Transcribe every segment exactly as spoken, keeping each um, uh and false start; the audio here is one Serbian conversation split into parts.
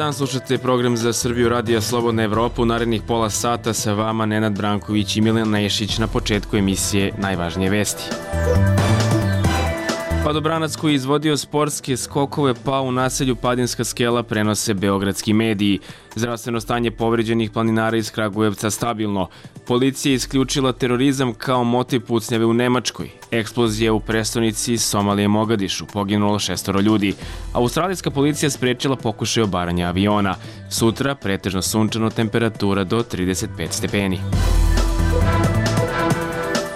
dan, slušate program Za Srbiju Radija Slobodna Evropa. U narednih pola sata sa vama Nenad Branković i Milan Nešić. Na početku emisije najvažnije vesti. Padobranac koji je izvodio sportske skokove pao u naselju Padinska skela, prenose beogradski mediji. Zdravstveno stanje povređenih planinara iz Kragujevca stabilno. Policija je isključila terorizam kao motiv pucnjave u Nemačkoj. Eksplozija u prestonici Somalije Mogadišu, poginulo šestoro ljudi. Australijska policija sprečila pokušaj obaranja aviona. Sutra pretežno sunčano, temperatura do trideset pet stepeni.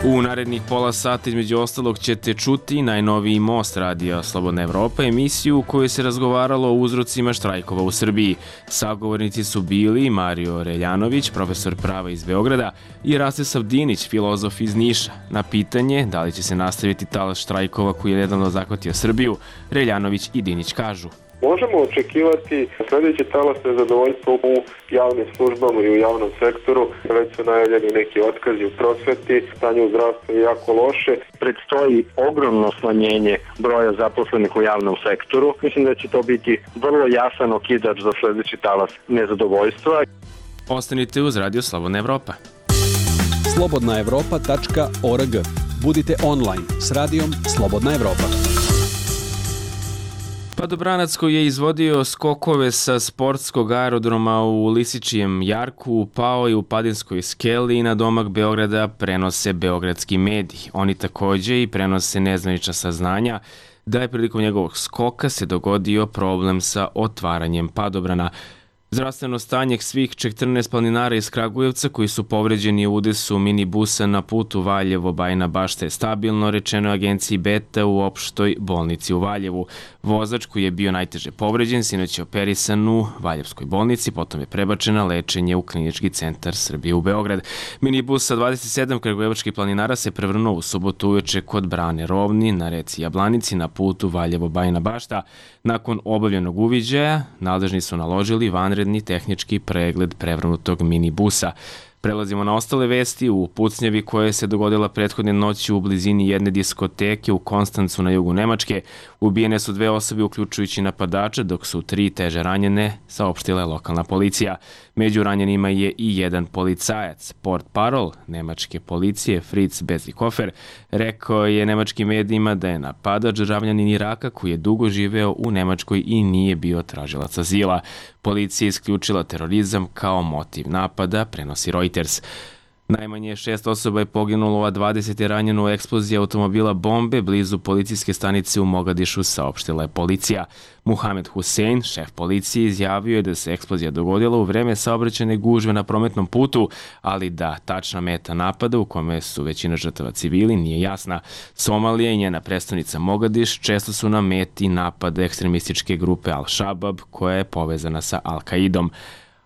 U narednih pola sata između ostalog ćete čuti najnoviji Most Radija Slobodna Evropa, emisiju u kojoj se razgovaralo o uzrocima štrajkova u Srbiji. Sagovornici su bili Mario Reljanović, profesor prava iz Beograda, i Rastislav Dinić, filozof iz Niša. Na pitanje da li će se nastaviti talas štrajkova koji je nedavno zahvatio Srbiju, Reljanović i Dinić kažu: Možemo očekivati sljedeći talas nezadovoljstva u javnim službama i u javnom sektoru. Već su najavljeni neki otkazi u prosveti, stanje u zdravstvu je jako loše. Predstoji ogromno smanjenje broja zaposlenih u javnom sektoru. Mislim da će to biti vrlo jasan okidač za sljedeći talas nezadovoljstva. Ostanite uz Radio Slobodna Evropa. slobodna evropa tačka org. Budite online s radijom Slobodna Evropa. Padobranac koji je izvodio skokove sa sportskog aerodroma u Lisičijem jarku pao je u Padinskoj skeli i na domak Beograda, prenose beogradski mediji. Oni takođe i prenose nezvanična saznanja da je prilikom njegovog skoka se dogodio problem sa otvaranjem padobrana. Zdravstveno stanje svih četrnaest planinara iz Kragujevca koji su povređeni u udesu minibusa na putu Valjevo-Bajina Bašta je stabilno, rečeno agenciji Beta u opštoj bolnici u Valjevu. Vozač koji je bio najteže povređen sinoć je operisan u Valjevskoj bolnici, potom je prebačen na lečenje u Klinički centar Srbije u Beograd. Minibus sa dvadeset sedam kragujevačkih planinara se prevrnuo u subotu uveče kod Brane Rovni na reci Jablanici na putu Valjevo-Bajina Bašta. Nakon obavljenog uviđaja, nadležni su naložili vanredni tehnički pregled prevrnutog minibusa. Prelazimo na ostale vesti. U pucnjavi koja se dogodila prethodne noći u blizini jedne diskoteke u Konstancu na jugu Nemačke, ubijene su dve osobe uključujući napadača, dok su tri teže ranjene, saopštila je lokalna policija. Među ranjenima je i jedan policajac. Portparol nemačke policije Fritz Bezikofer rekao je nemačkim medijima da je napadač državljanin Iraka koji je dugo živeo u Nemačkoj i nije bio tražilac azila. Policija je isključila terorizam kao motiv napada, prenosi Reuters. Najmanje šest osoba je poginulo, a dvadeset je ranjeno u eksploziji automobila bombe blizu policijske stanice u Mogadišu, saopštila je policija. Muhamed Hussein, šef policije, izjavio je da se eksplozija dogodila u vreme saobraćajne gužve na prometnom putu, ali da tačna meta napada, u kome su većina žrtava civili, nije jasna. Somalija i njena prestonica Mogadiš često su na meti napada ekstremističke grupe Al-Shabab, koja je povezana sa Al-Kaidom.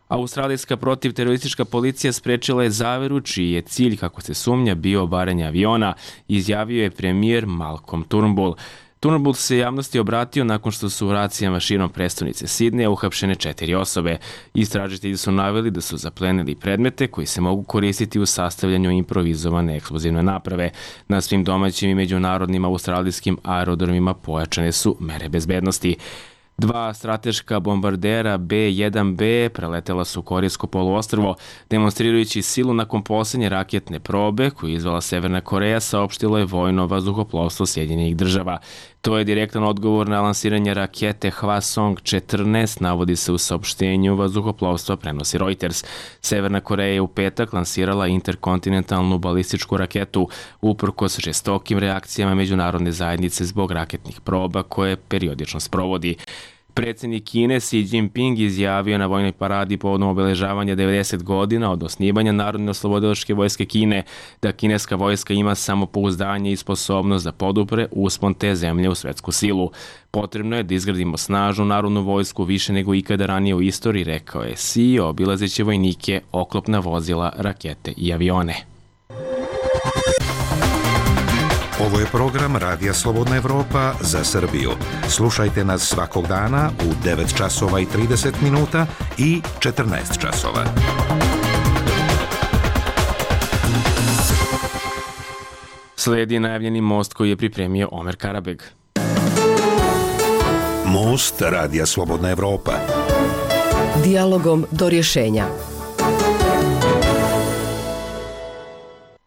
Australijska protivteroristička policija sprečila je zaveru čiji je cilj, kako se sumnja, bio obaranje aviona, izjavio je premijer Malcolm Turnbull. Turnbull se javnosti obratio nakon što su u racijama širom prestonice Sidneja uhapšene četiri osobe. Istražitelji su naveli da su zaplenili predmete koji se mogu koristiti u sastavljanju improvizovane eksplozivne naprave. Na svim domaćim i međunarodnim australijskim aerodromima pojačane su mere bezbednosti. Dva strateška bombardera B jedan B preletela su Korejsko poluostrvo, demonstrirajući silu nakon poslednje raketne probe koju je izvala Severna Koreja, saopštilo je vojno vazduhoplovstvo Sjedinjenih država. To je direktan odgovor na lansiranje rakete Hwasong četrnaest, navodi se u saopštenju vazduhoplovstva, prenosi Reuters. Severna Koreja je u petak lansirala interkontinentalnu balističku raketu uprkos žestokim reakcijama međunarodne zajednice zbog raketnih proba koje periodično sprovodi. Predsjednik Kine Xi Jinping izjavio na vojnoj paradi povodom obeležavanja devedeset godina od osnivanja Narodne oslobodilačke vojske Kine da kineska vojska ima samopouzdanje i sposobnost da podupre uspon te zemlje u svetsku silu. Potrebno je da izgradimo snažnu narodnu vojsku više nego ikada ranije u istoriji, rekao je Xi, obilazeći vojnike, oklopna vozila, rakete i avione. Ovo je program Radija Slobodna Evropa za Srbiju. Slušajte nas svakog dana u devet časova i trideset minuta i četrnaest časova. Sledi najavljeni most koji je pripremio Omer Karabeg. Most Radija Slobodna Evropa. Dijalogom do rješenja.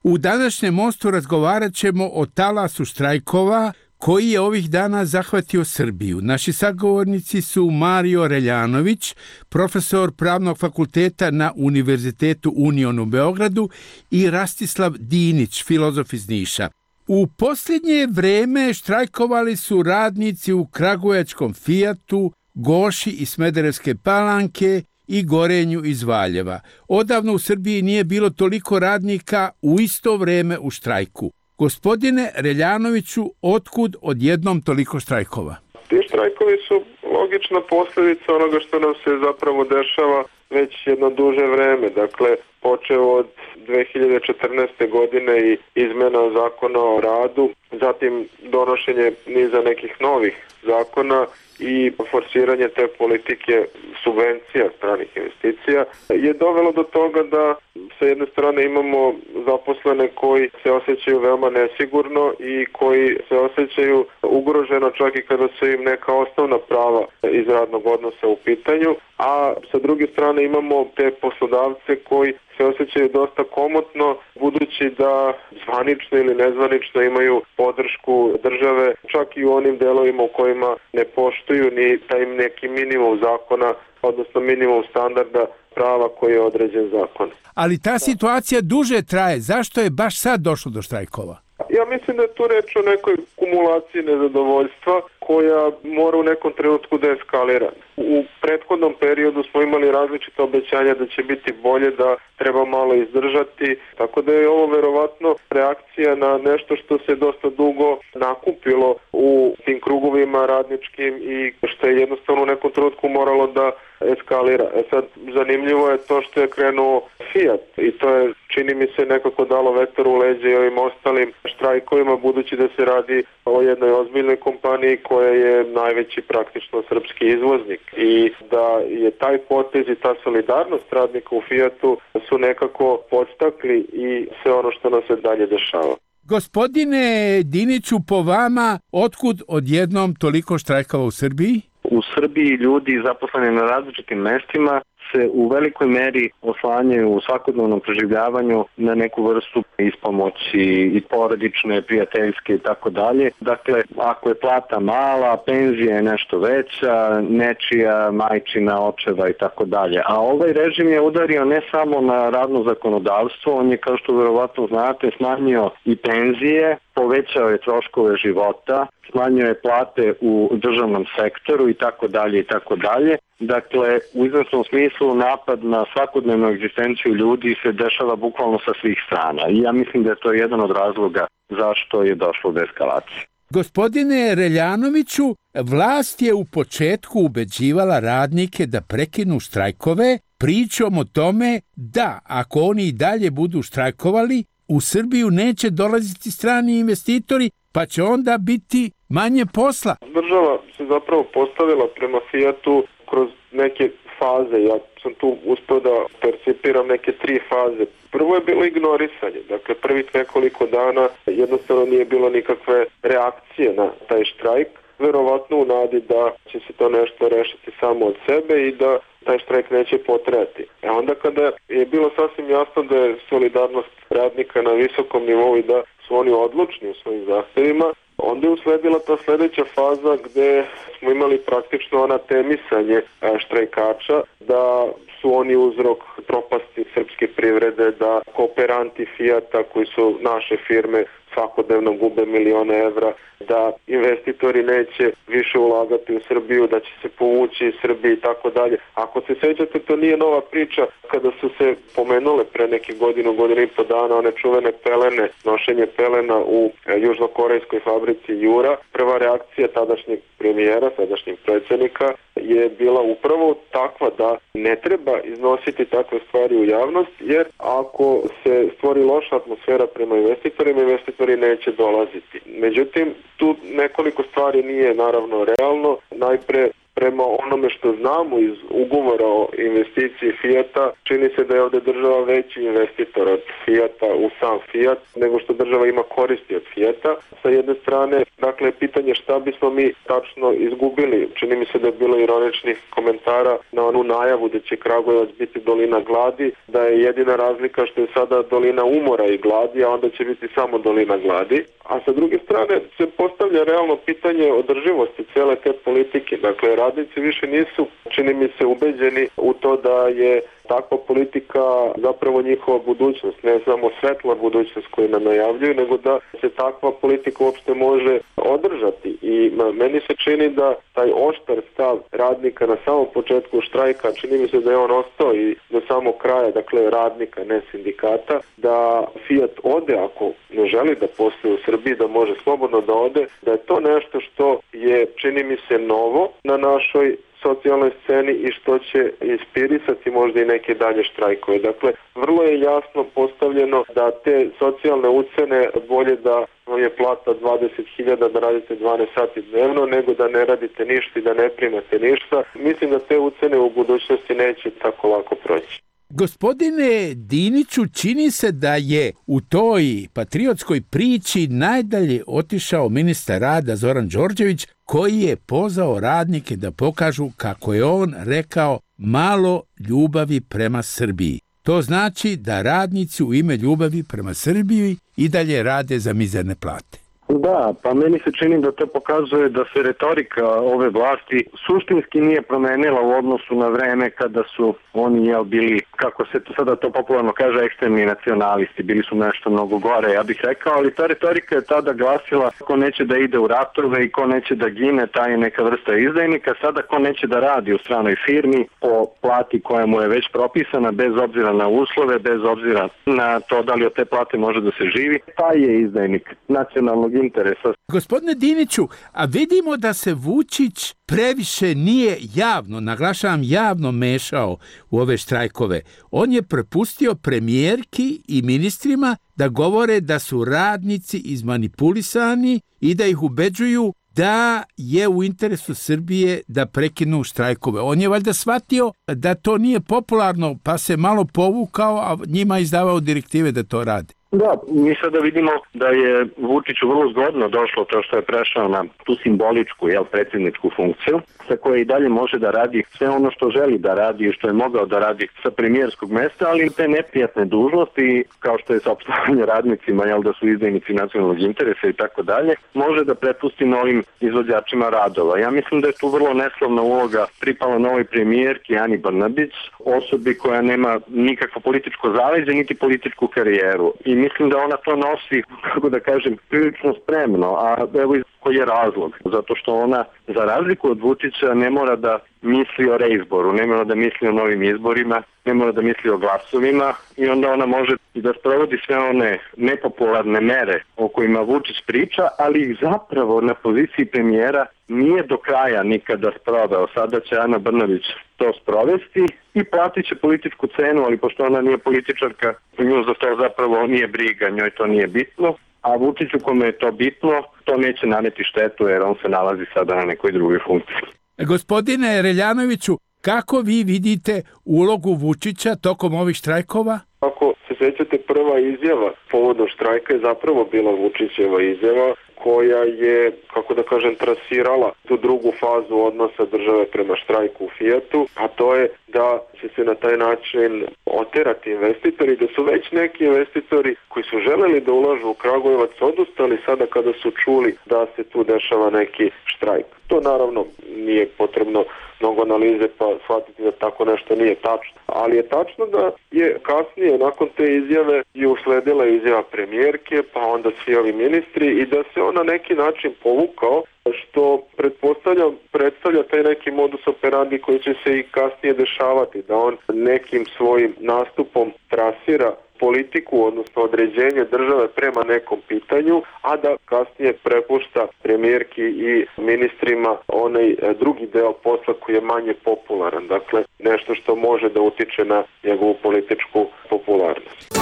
U današnjem mostu razgovarat ćemo o talasu štrajkova koji je ovih dana zahvatio Srbiju. Naši sagovornici su Mario Reljanović, profesor Pravnog fakulteta na Univerzitetu Union u Beogradu, i Rastislav Dinić, filozof iz Niša. U posljednje vreme štrajkovali su radnici u kragujevačkom Fijatu, Goši i Smederevske Palanke i Gorenju iz Valjeva. Odavno u Srbiji nije bilo toliko radnika u isto vreme u štrajku. Gospodine Reljanoviću, otkud odjednom toliko štrajkova? Ti štrajkovi su logična posljedica onoga što nam se zapravo dešava već jedno duže vreme. Dakle, počeo od dve hiljade četrnaeste. godine i izmena zakona o radu, zatim donošenje niza nekih novih zakona i forsiranje te politike subvencija stranih investicija je dovelo do toga da sa jedne strane imamo zaposlene koji se osjećaju veoma nesigurno i koji se osjećaju ugroženo čak i kada su im neka osnovna prava iz radnog odnosa u pitanju, a sa druge strane imamo te poslodavce koji se osjećaju dosta komotno budući da zvanično ili nezvanično imaju podršku države čak i u onim delovima u kojima ne poštuju ni taj neki minimum zakona, odnosno minimum standarda prava koji je određen zakon. Ali ta situacija duže traje. Zašto je baš sad došlo do štrajkova? Ja mislim da je tu reč o nekoj kumulaciji nezadovoljstva koja mora u nekom trenutku da eskalira. U prethodnom periodu smo imali različite obećanja da će biti bolje, da treba malo izdržati, tako da je ovo verovatno reakcija na nešto što se dosta dugo nakupilo u tim krugovima radničkim i što je jednostavno u nekom trenutku moralo da eskalira. E sad, zanimljivo je to što je krenuo Fiat i to je, čini mi se, nekako dalo vetar u leđe i ovim ostalim štrajkovima, budući da se radi o jednoj ozbiljnoj kompaniji koja je najveći praktično srpski izvoznik i da je taj potez i ta solidarnost radnika u Fiatu su nekako podstakli i sve ono što nam se dalje dešava. Gospodine Diniću, po vama, otkud odjednom toliko štrajkova u Srbiji? U Srbiji ljudi zaposleni na različitim mestima se u velikoj meri oslanjaju u svakodnevnom preživljavanju na neku vrstu ispomoći i porodične, prijateljske i tako dalje. Dakle, ako je plata mala, penzija je nešto veća, nečija, majčina, očeva i tako dalje. A ovaj režim je udario ne samo na radno zakonodavstvo, on je, kao što verovatno znate, smanjio i penzije, povećao je troškove života, smanjio je plate u državnom sektoru i tako dalje i tako dalje. Dakle, u izvesnom smislu napad na svakodnevnu egzistenciju ljudi se dešava bukvalno sa svih strana i ja mislim da je to jedan od razloga zašto je došlo do eskalacije. Gospodine Reljanoviću, vlast je u početku ubeđivala radnike da prekinu štrajkove pričom o tome da ako oni i dalje budu štrajkovali, u Srbiju neće dolaziti strani investitori, pa će onda biti manje posla. Država se zapravo postavila prema Fiatu kroz neke faze. Ja sam tu uspio da percipiram neke tri faze. Prvo je bilo ignorisanje. Dakle, prvih nekoliko dana jednostavno nije bilo nikakve reakcije na taj štrajk. Verovatno u nadi da će se to nešto rešiti samo od sebe i da taj štrajk neće potrajati. E onda kada je bilo sasvim jasno da je solidarnost radnika na visokom nivou i da su oni odlučni u svojim zahtevima, onda je usledila ta sledeća faza gde smo imali praktično anatemisanje štrajkača, da su oni uzrok propasti srpske privrede, da kooperanti Fijata koji su naše firme svakodnevno gube milione evra, da investitori neće više ulagati u Srbiju, da će se povući iz Srbije i tako dalje. Ako se sećate, to nije nova priča kada su se pomenule pre neke godinu, godinu i po dana one čuvene pelene, nošenje pelena u južnokorejskoj fabrici Jura. Prva reakcija tadašnjeg premijera, sadašnjeg predsjednika je bila upravo takva da ne treba iznositi takve stvari u javnost, jer ako se stvori loša atmosfera prema investitorima, investitori neće dolaziti. Međutim, tu nekoliko stvari nije naravno realno. Najpre, prema onome što znamo iz ugovora o investiciji Fijata, čini se da je ovde država veći investitor od Fijata u sam Fijat, nego što država ima koristi od Fijata. Sa jedne strane, dakle, pitanje šta bismo mi tačno izgubili. Čini mi se da je bilo ironičnih komentara na onu najavu da će Kragujevac biti dolina gladi, da je jedina razlika što je sada dolina umora i gladi, a onda će biti samo dolina gladi. A sa druge strane se postavlja realno pitanje održivosti cele te politike. Dakle, radnici više nisu, čini mi se, ubeđeni u to da je takva politika zapravo njihova budućnost, ne samo svetla budućnost koju nam najavljuju, nego da se takva politika uopšte može održati. I meni se čini da taj oštar stav radnika na samom početku štrajka, čini mi se da je on ostao i do samog kraja, dakle radnika, ne sindikata, da Fijat ode ako ne želi da posluje u Srbiji, da može slobodno da ode, da je to nešto što je, čini mi se, novo na našoj socijalnoj sceni i što će inspirisati možda i neke dalje štrajkove. Dakle, vrlo je jasno postavljeno da te socijalne ucene bolje da vam je plata dvadeset hiljada da radite dvanaest sati dnevno, nego da ne radite ništa i da ne primate ništa. Mislim da te ucene u budućnosti neće tako lako proći. Gospodine Diniću, čini se da je u toj patriotskoj priči najdalje otišao ministar rada Zoran Đorđević, koji je pozvao radnike da pokažu, kako je on rekao, malo ljubavi prema Srbiji. To znači da radnici u ime ljubavi prema Srbiji i dalje rade za mizerne plate. Da, pa meni se čini da to pokazuje da se retorika ove vlasti suštinski nije promenila u odnosu na vreme kada su oni jel, bili, kako se to sada to popularno kaže, ekstremni nacionalisti, bili su nešto mnogo gore, ja bih rekao, ali ta retorika je tada glasila ko neće da ide u ratove i ko neće da gine, taj je neka vrsta izdajnika. Sada ko neće da radi u stranoj firmi po plati koja mu je već propisana, bez obzira na uslove, bez obzira na to da li od te plate može da se živi, taj je izdajnik nacionalnog interesa. Gospodine Diniću, a vidimo da se Vučić previše nije javno, naglašavam javno, mešao u ove štrajkove. On je prepustio premijerki i ministrima da govore da su radnici izmanipulisani i da ih ubeđuju da je u interesu Srbije da prekinu štrajkove. On je valjda shvatio da to nije popularno, pa se malo povukao, a njima izdavao direktive da to rade. Da, mi sada vidimo da je Vučiću vrlo zgodno došlo to što je prešao na tu simboličku, jel, predsjedničku funkciju, sa koje i dalje može da radi sve ono što želi da radi i što je mogao da radi sa premijerskog mesta, ali te neprijatne dužnosti, kao što je saopštavanje radnicima, jel, da su izdajnici nacionalnog interesa i tako dalje, može da prepusti novim izvođačima radova. Ja mislim da je tu vrlo neslavna uloga pripala novoj premijerki Ani Brnabić, osobi koja nema nikakvo političko zaleđe, niti političku karijeru. I mislim da ona to nosi, kako da kažem, prilično spremno, a evo koji je razlog. Zato što ona, za razliku od Vučića, ne mora da misli o reizboru, ne mora da misli o novim izborima, ne mora da misli o glasovima i onda ona može i da sprovodi sve one nepopularne mere o kojima Vučić priča, ali ih zapravo na poziciji premijera nije do kraja nikada sproveo. Sada će Ana Brnabić to sprovesti i platit će političku cenu, ali pošto ona nije političarka, nju za to zapravo nije briga, njoj to nije bitno. A Vučiću kome je to bitno, to neće naneti štetu jer on se nalazi sada na nekoj drugoj funkciji. Gospodine Reljanoviću, kako vi vidite ulogu Vučića tokom ovih štrajkova? Ako se sjećate, prva izjava povodom štrajka je zapravo bila Vučićeva izjava koja je, kako da kažem, trasirala tu drugu fazu odnosa države prema štrajku u Fijatu, a to je da će se na taj način oterati investitori, da su već neki investitori koji su želeli da ulažu u Kragujevac odustali sada kada su čuli da se tu dešava neki štrajk. To naravno nije potrebno mnogo analize pa shvatiti da tako nešto nije tačno. Ali je tačno da je kasnije nakon te izjave je usledila izjava premijerke, pa onda svi ovi ministri i da se on na neki način povukao, što pretpostavlja, predstavlja taj neki modus operandi koji će se i kasnije dešavati, da on nekim svojim nastupom trasira politiku, odnosno određenje države prema nekom pitanju, a da kasnije prepušta premijerki i ministrima onaj drugi deo posla koji je manje popularan. Dakle, nešto što može da utiče na njegovu političku popularnost.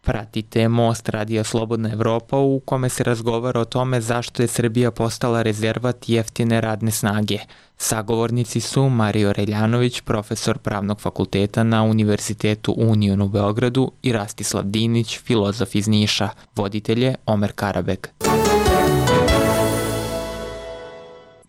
Pratite Most Radija Slobodna Evropa u kome se razgovara o tome zašto je Srbija postala rezervat jeftine radne snage. Sagovornici su Mario Reljanović, profesor Pravnog fakulteta na Univerzitetu Union u Beogradu i Rastislav Dinić, filozof iz Niša. Voditelj je Omer Karabek.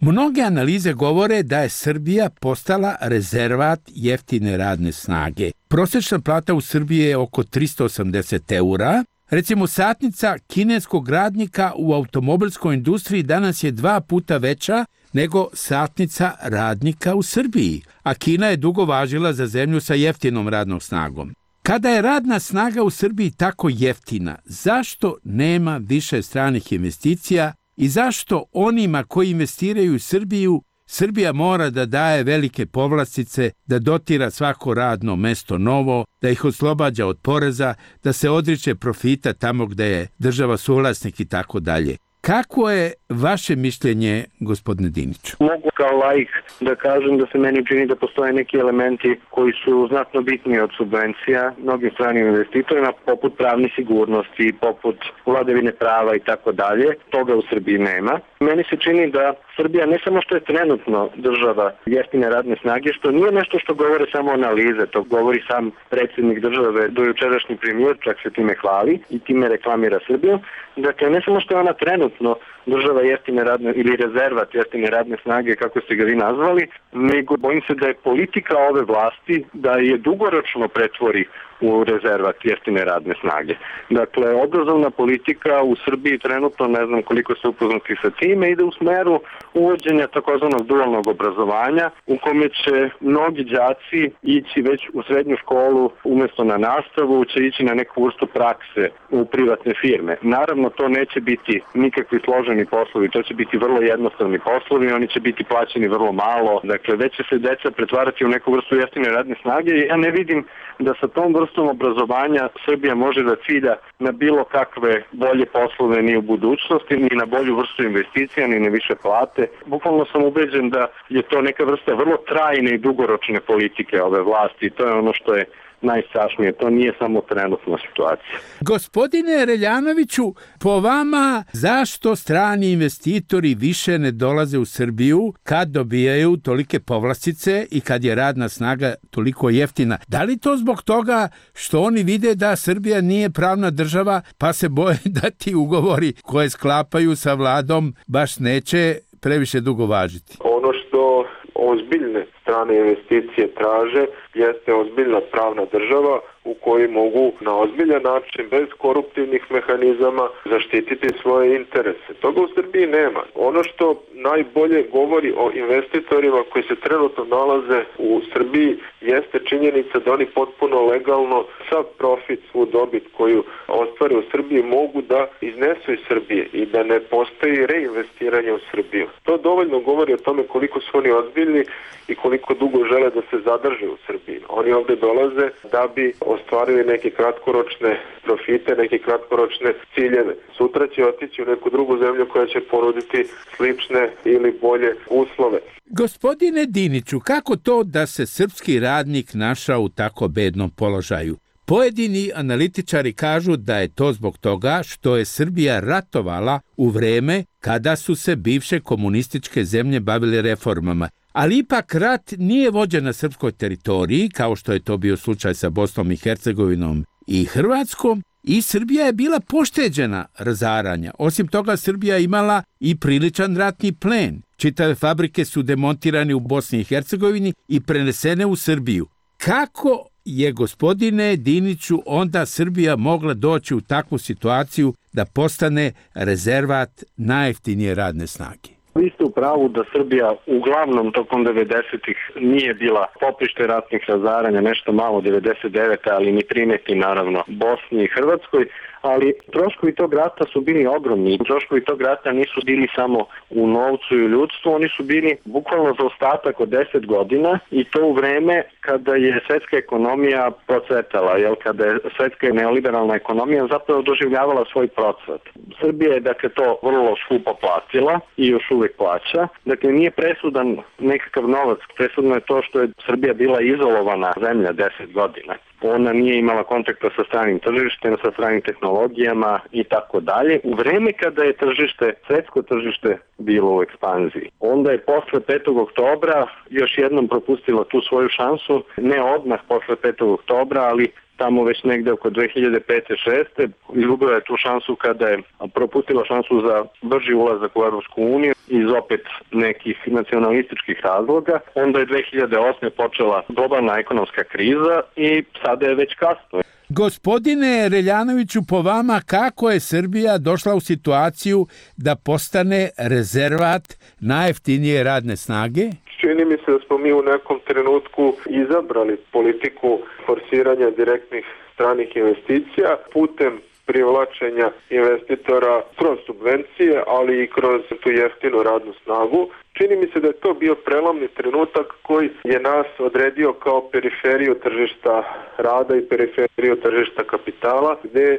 Mnoge analize govore da je Srbija postala rezervat jeftine radne snage. Prosječna plata u Srbiji je oko tristo osamdeset eura. Recimo, satnica kineskog radnika u automobilskoj industriji danas je dva puta veća nego satnica radnika u Srbiji, a Kina je dugo važila za zemlju sa jeftinom radnom snagom. Kada je radna snaga u Srbiji tako jeftina, zašto nema više stranih investicija i zašto onima koji investiraju u Srbiju, Srbija mora da daje velike povlastice, da dotira svako radno mesto novo, da ih oslobađa od poreza, da se odriče profita tamo gde je država suvlasnik i tako dalje. Kako je vaše mišljenje, gospodine Diniću? Mogu kao laik da kažem da se meni čini da postoje neki elementi koji su znatno bitniji od subvencija mnogim stranim investitorima, poput pravne sigurnosti, poput vladavine prava i tako dalje. Toga u Srbiji nema. Meni se čini da Srbija ne samo što je trenutno država jeftine radne snage, što nije nešto što govore samo analize, to govori sam predsjednik države, dojučerašnji premijer, čak se time hvali i time reklamira Srbiju. Dakle, ne samo što je ona trenutno država jeftine radne ili rezervat jeftine radne snage, kako ste ga vi nazvali, nego bojim se da je politika ove vlasti da je dugoročno pretvori u rezervat jeftine radne snage. Dakle, obrazovna politika u Srbiji trenutno, ne znam koliko ste upoznati sa time, ide u smeru uvođenja takozvanog dualnog obrazovanja, u kome će mnogi đaci ići već u srednju školu umesto na nastavu, će ići na neku vrstu prakse u privatne firme. Naravno, to neće biti nikakvi složeni poslovi, to će biti vrlo jednostavni poslovi, oni će biti plaćeni vrlo malo, dakle, već će se deca pretvarati u neku vrstu jeftine radne snage i ja ne vidim da sa tom vrstom obrazovanja Srbija može da cilja na bilo kakve bolje poslove ni u budućnosti, ni na bolju vrstu investicija, ni na više plate. Bukvalno sam ubeđen da je to neka vrsta vrlo trajne i dugoročne politike ove vlasti i to je ono što je najstrašnije. To nije samo trenutna situacija. Gospodine Reljanoviću, po vama zašto strani investitori više ne dolaze u Srbiju kad dobijaju tolike povlastice i kad je radna snaga toliko jeftina? Da li to zbog toga što oni vide da Srbija nije pravna država pa se boje da ti ugovori koje sklapaju sa vladom baš neće previše dugo važiti? Ono što ozbiljne strane investicije traže jeste ozbiljna pravna država u kojoj mogu na ozbiljan način, bez koruptivnih mehanizama, zaštititi svoje interese. Toga u Srbiji nema. Ono što najbolje govori o investitorima koji se trenutno nalaze u Srbiji jeste činjenica da oni potpuno legalno sav profit, svu dobit koju ostvare u Srbiji mogu da iznesu iz Srbije i da ne postoji reinvestiranje u Srbiju. To dovoljno govori o tome koliko su oni ozbiljni i koliko dugo žele da se zadrže u Srbiji. Oni ovde dolaze da bi ostvarili neke kratkoročne profite, neke kratkoročne ciljeve. Sutra će otići u neku drugu zemlju koja će ponuditi slične ili bolje uslove. Gospodine Diniću, kako to da se srpski radnik našao u tako bednom položaju? Pojedini analitičari kažu da je to zbog toga što je Srbija ratovala u vreme kada su se bivše komunističke zemlje bavile reformama. Ali ipak rat nije vođen na srpskoj teritoriji, kao što je to bio slučaj sa Bosnom i Hercegovinom i Hrvatskom, i Srbija je bila pošteđena razaranja. Osim toga, Srbija imala i priličan ratni plen. Čitave fabrike su demontirane u Bosni i Hercegovini i prenesene u Srbiju. Kako je, gospodine Diniću, onda Srbija mogla doći u takvu situaciju da postane rezervat najjeftinije radne snage? Vi ste u pravu da Srbija uglavnom tokom devedesetih nije bila poprište ratnih razaranja, nešto malo devedeset devete ali ni primeti naravno Bosni i Hrvatskoj, ali troškovi tog rata su bili ogromni. Troškovi tog rata nisu bili samo u novcu i u ljudstvu, oni su bili bukvalno za ostatak od deset godina i to u vreme kada je svetska ekonomija procvetala, jel, kada je svetska neoliberalna ekonomija zapravo doživljavala svoj procvat. Srbija je dakle to vrlo skupo platila i još uvijek plaća. Dakle, nije presudan nekakav novac, presudno je to što je Srbija bila izolovana zemlja deset godina. ona nije imala kontakta sa stranim tržištem, sa stranim tehnologijama i tako dalje. U vreme kada je tržište, svetsko tržište bilo u ekspanziji. Onda je posle petog oktobra još jednom propustila tu svoju šansu, ne odmah posle petog oktobra, ali tamo već negde oko dve hiljade pete šeste izgubila je tu šansu kada je propustila šansu za brži ulazak u Evropsku uniju iz opet nekih nacionalističkih razloga. Onda je dve hiljade osme počela globalna ekonomska kriza i sada je već kasno. Gospodine Reljanoviću, po vama kako je Srbija došla u situaciju da postane rezervat najjeftinije radne snage? Čini mi se da smo mi u nekom trenutku izabrali politiku forsiranja direktnih stranih investicija putem privlačenja investitora kroz subvencije, ali i kroz tu jeftinu radnu snagu. Čini mi se da je to bio prelomni trenutak koji je nas odredio kao periferiju tržišta rada i periferiju tržišta kapitala, gde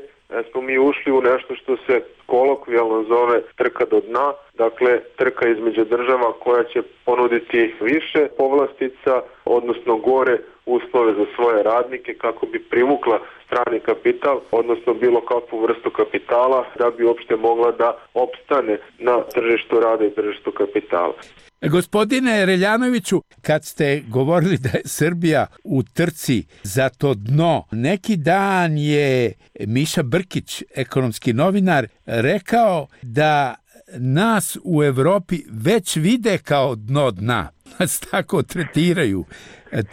smo mi ušli u nešto što se kolokvijalno zove trka do dna, dakle trka između država koja će ponuditi više povlastica, odnosno gore uslove za svoje radnike kako bi privukla strani kapital, odnosno bilo kakvu vrstu kapitala da bi uopšte mogla da opstane na tržištu rada i tržištu kapitala. Gospodine Reljanoviću, kad ste govorili da je Srbija u trci za to dno, neki dan je Miša Brkić, ekonomski novinar, rekao da nas u Evropi već vide kao dno dna. Nas tako tretiraju.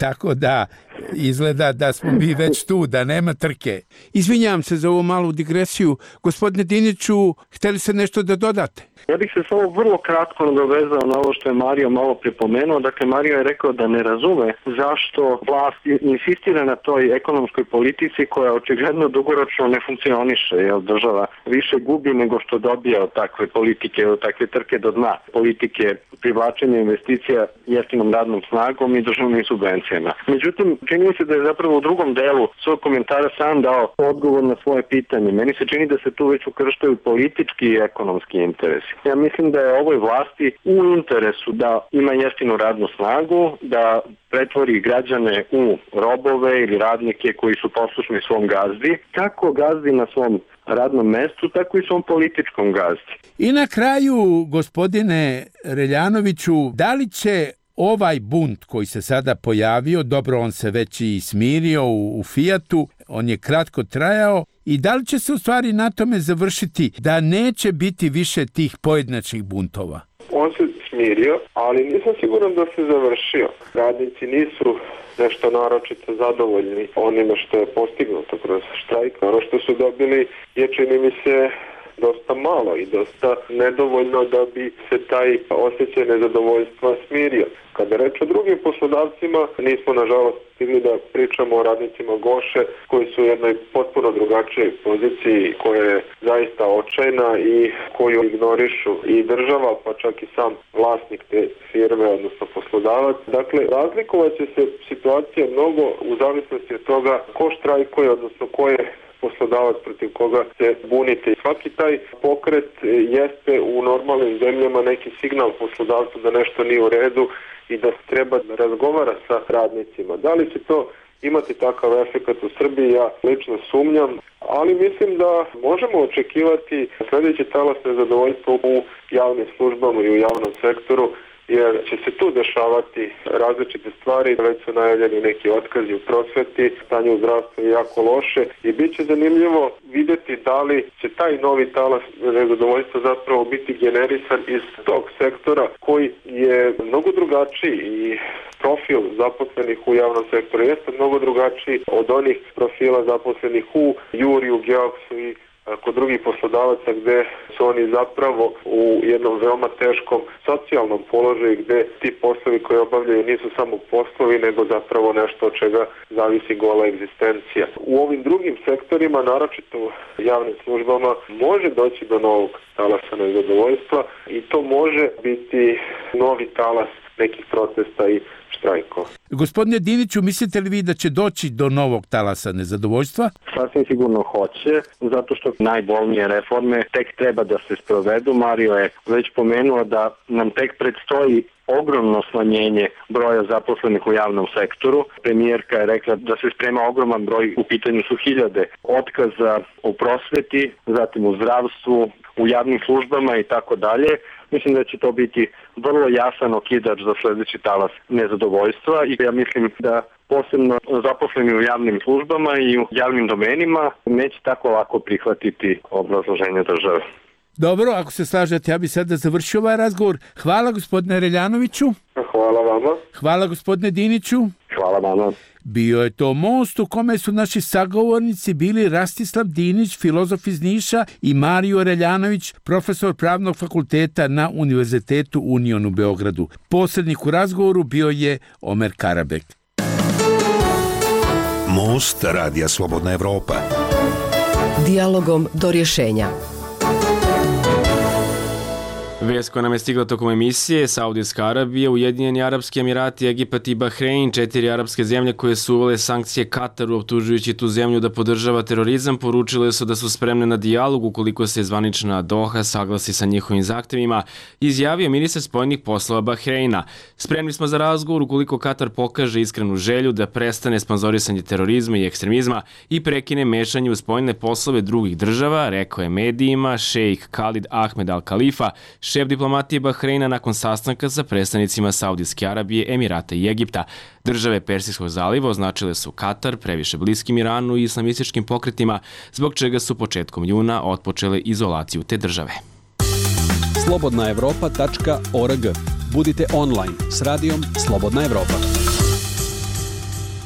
Tako da izgleda da smo mi već tu, da nema trke. Izvinjam se za ovu malu digresiju. Gospodine Diniću, hteli ste nešto da dodate? Ja bih se samo vrlo kratko nadovezao na ovo što je Mario malo pripomenuo. Dakle, Mario je rekao da ne razume zašto vlast insistira na toj ekonomskoj politici koja očigledno dugoročno ne funkcioniše, jer država više gubi nego što dobija od takve politike, od takve trke do dna, politike privlačenja investicija jeftinom radnom snagom i državnim subvencijama. Međutim, čini mi se da je zapravo u drugom delu svog komentara sam dao odgovor na svoje pitanje. Meni se čini da se tu već ukrštaju politički i ekonomski interesi. Ja mislim da je ovoj vlasti u interesu da ima jeftinu radnu snagu, da pretvori građane u robove ili radnike koji su poslušni svom gazdi, kako gazdi na svom radnom mestu, tako i svom političkom gazdi. I na kraju, gospodine Reljanoviću, da li će ovaj bunt koji se sada pojavio, dobro, on se već i smirio u, u Fijatu, on je kratko trajao, i da li će se u stvari na tome završiti da neće biti više tih pojedinačnih buntova? On se smirio, ali nisam siguran da se završio. Radnici nisu nešto naročito zadovoljni onime što je postignuto kroz štrajk. Ono što su dobili je, čini mi se, dosta malo i dosta nedovoljno da bi se taj osjećaj nezadovoljstva smirio. Kada reč o drugim poslodavcima, nismo nažalost stigli da pričamo o radnicima Goše koji su u jednoj potpuno drugačijoj poziciji, koja je zaista očajna i koju ignorišu i država, pa čak i sam vlasnik te firme, odnosno poslodavac. Dakle, razlikovat će se situacija mnogo u zavisnosti od toga ko štrajkuje, odnosno ko je poslodavac protiv koga se bunite. Svaki taj pokret jeste u normalnim zemljama neki signal poslodavcu da nešto nije u redu i da treba da razgovara sa radnicima. Da li će to imati takav efekt u Srbiji, ja lično sumnjam, ali mislim da možemo očekivati sljedeći talas nezadovoljstva u javnim službama i u javnom sektoru, jer će se tu dešavati različite stvari, već su najavljeni neki otkazi u prosveti, stanje u zdravstvu je jako loše i bit će zanimljivo vidjeti da li će taj novi talas nezadovoljstva zapravo biti generisan iz tog sektora koji je mnogo drugačiji i profil zaposlenih u javnom sektoru jeste mnogo drugačiji od onih profila zaposlenih u Juri, u Geoksu i kod drugih poslodavaca gde su oni zapravo u jednom veoma teškom socijalnom položaju gde ti poslovi koje obavljaju nisu samo poslovi nego zapravo nešto od čega zavisi gola egzistencija. U ovim drugim sektorima, naročito u javnim službama, može doći do novog talasa nezadovoljstva i to može biti novi talas nekih protesta i štrajkova. Gospodine Diniću, mislite li vi da će doći do novog talasa nezadovoljstva? Sasvim sigurno hoće, zato što najbolnije reforme tek treba da se sprovedu. Mario je već pomenuo da nam tek predstoji ogromno smanjenje broja zaposlenih u javnom sektoru. Premijerka je rekla da se sprema ogroman broj, u pitanju su hiljade otkaza u prosveti, zatim u zdravstvu, u javnim službama i tako dalje. Mislim da će to biti vrlo jasan okidač za sledeći talas nezadovoljstva i ja mislim da posebno zaposleni u javnim službama i u javnim domenima neće tako lako prihvatiti obrazloženje države. Dobro, ako se slažete, ja bi sada završio ovaj razgovor. Hvala gospodine Reljanoviću. Hvala vama. Hvala gospodine Diniću. Hvala vama. Bio je to most u kome su naši sagovornici bili Rastislav Dinić, filozof iz Niša, i Mario Reljanović, profesor Pravnog fakulteta na Univerzitetu Union u Beogradu. Posrednik u razgovoru bio je Omer Karabek. Most Radija Slobodna Evropa. Dijalogom do rješenja. Vest koja nam je stigla tokom emisije: Saudijska Arabija, Ujedinjeni Arapski Emirati, Egipat i Bahrein, četiri arapske zemlje koje su uvele sankcije Kataru optužujući tu zemlju da podržava terorizam, poručile su da su spremne na dijalog ukoliko se zvanična Doha saglasi sa njihovim zahtevima, izjavio ministar spoljnih poslova Bahreina. Spremni smo za razgovor ukoliko Katar pokaže iskrenu želju da prestane sponzorisanje terorizma i ekstremizma i prekine mešanje u spoljne poslove drugih država, rekao je medijima šejk Khalid Ahmed Al Khalifa, šef diplomatije Bahreina nakon sastanka sa predstavnicima Saudijske Arabije, Emirata i Egipta. Države Persijskog zaliva označile su Katar previše bliskim Iranu i islamističkim pokretima, zbog čega su početkom juna otpočele izolaciju te države. slobodna evropa tačka org. Budite online s radijom Slobodna Evropa.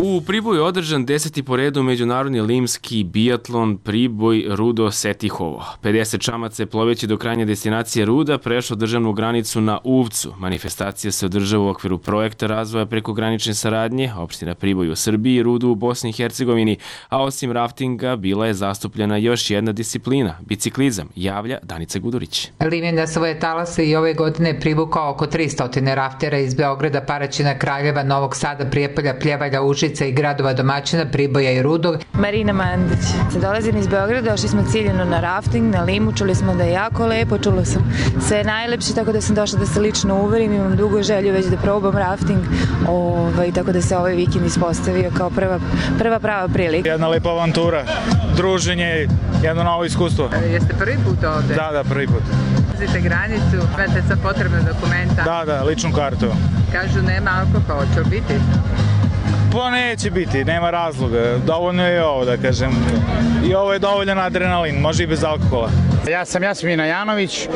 U Priboju je održan deseti po redu međunarodni limski biatlon Priboj Rudo Setihovo. pedeset čamaca je ploveći do krajnje destinacije Ruda prešlo državnu granicu na Uvcu. Manifestacija se održava u okviru projekta razvoja prekogranične saradnje opština Priboj u Srbiji i Rudu u Bosni i Hercegovini, a osim raftinga bila je zastupljena još jedna disciplina, biciklizam, javlja Danica Gudurić. Lim je na svoje talase i ove godine privukao oko tristo raftera iz Beograda, Paraćina, Kraljeva, Novog Sada, Prijepolja, Pljevalja, Užica i gradova domaćina Priboja i Rudog. Marina Mandić. Dolazim iz Beograda, došli smo ciljeno na rafting, na Limu, čuli smo da je jako lepo, čulo sam sve najlepše, tako da sam došla da se lično uverim, imam dugo želju već da probam rafting, ovaj, tako da se ovaj vikend ispostavio kao prva, prva prava prilika. Jedna lepa avantura, druženje, jedno novo iskustvo. E, jeste prvi put ovde? Da, da, prvi put. Ulazite granicu, imate sa potrebne dokumenta? Da, da, ličnu kartu. Kažu nema alkohola, će biti? Pa neće biti, nema razloga. Dovoljno je ovo, da kažem. I ovo je dovoljan adrenalin, može i bez alkohola. Ja sam Jasmina Janović,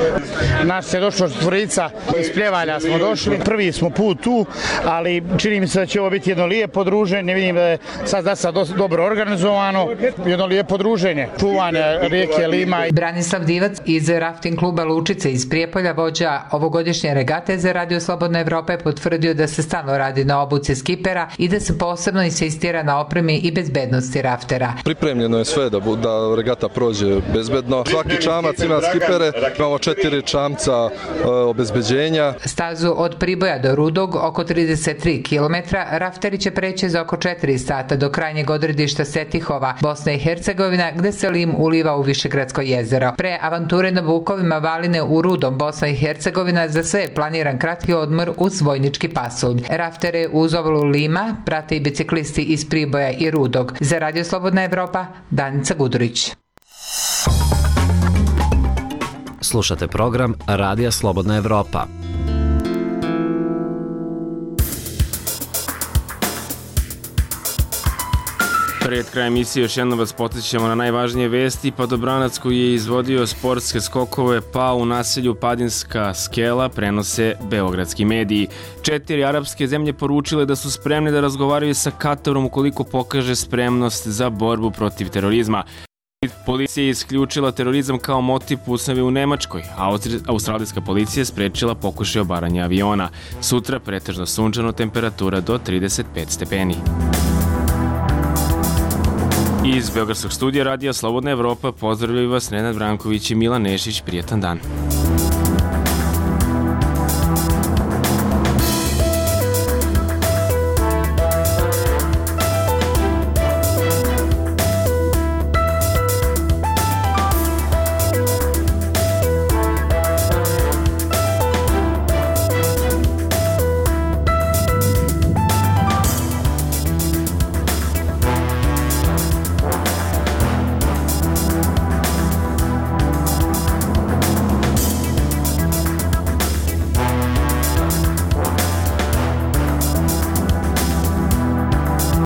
nas je došlo četvorica, iz Pljevalja smo došli. Prvi smo put tu, ali čini mi se da će ovo biti jedno lijepo druženje. Vidim da je sad da sad dobro organizovano, jedno lijepo druženje. Čuvanje rijeke Lima. Branislav Divac iz rafting kluba Lučice iz Prijepolja, vođa ovogodišnje regate za Radio Slobodna Evropa, je potvrdio da se stalno radi na obuci skipera i da se posebno insistira na opremi i bezbednosti raftera. Pripremljeno je sve da, da regata prođe bezbedno. Svaki čamac ima skipere, imamo četiri čamca e, obezbeđenja. Stazu od Priboja do Rudog, oko trideset tri kilometra, rafteri će preći za oko četiri sata do krajnjeg odredišta Setihova, Bosna i Hercegovina, gde se Lim uliva u Višegradsko jezero. Pre avanture na Vukovima Valine u Rudom, Bosna i Hercegovina, za sve je planiran kratki odmor uz vojnički pasulj. Raftere uz ovalu Lima prate i biciklisti iz Priboja i Rudog. Za Radio Slobodna Evropa, Danica Gudurić. Slušate program Radija Slobodna Evropa. Pred krajem emisije još jednom vas podsjećamo na najvažnije vesti. Padobranac koji je izvodio sportske skokove pao u naselju Padinska skela, prenose beogradski mediji. Četiri arapske zemlje poručile da su spremne da razgovaraju sa Katarom ukoliko pokaže spremnost za borbu protiv terorizma. Policija je isključila terorizam kao motiv pucnjave u Nemačkoj, a australijska policija je sprečila pokušaj obaranja aviona. Sutra pretežno sunčano, temperatura do trideset pet stepeni. Iz Beogradskog studija Radija Slobodna Evropa pozdravljaju vas Nenad Branković i Milan Nešić. Prijetan dan.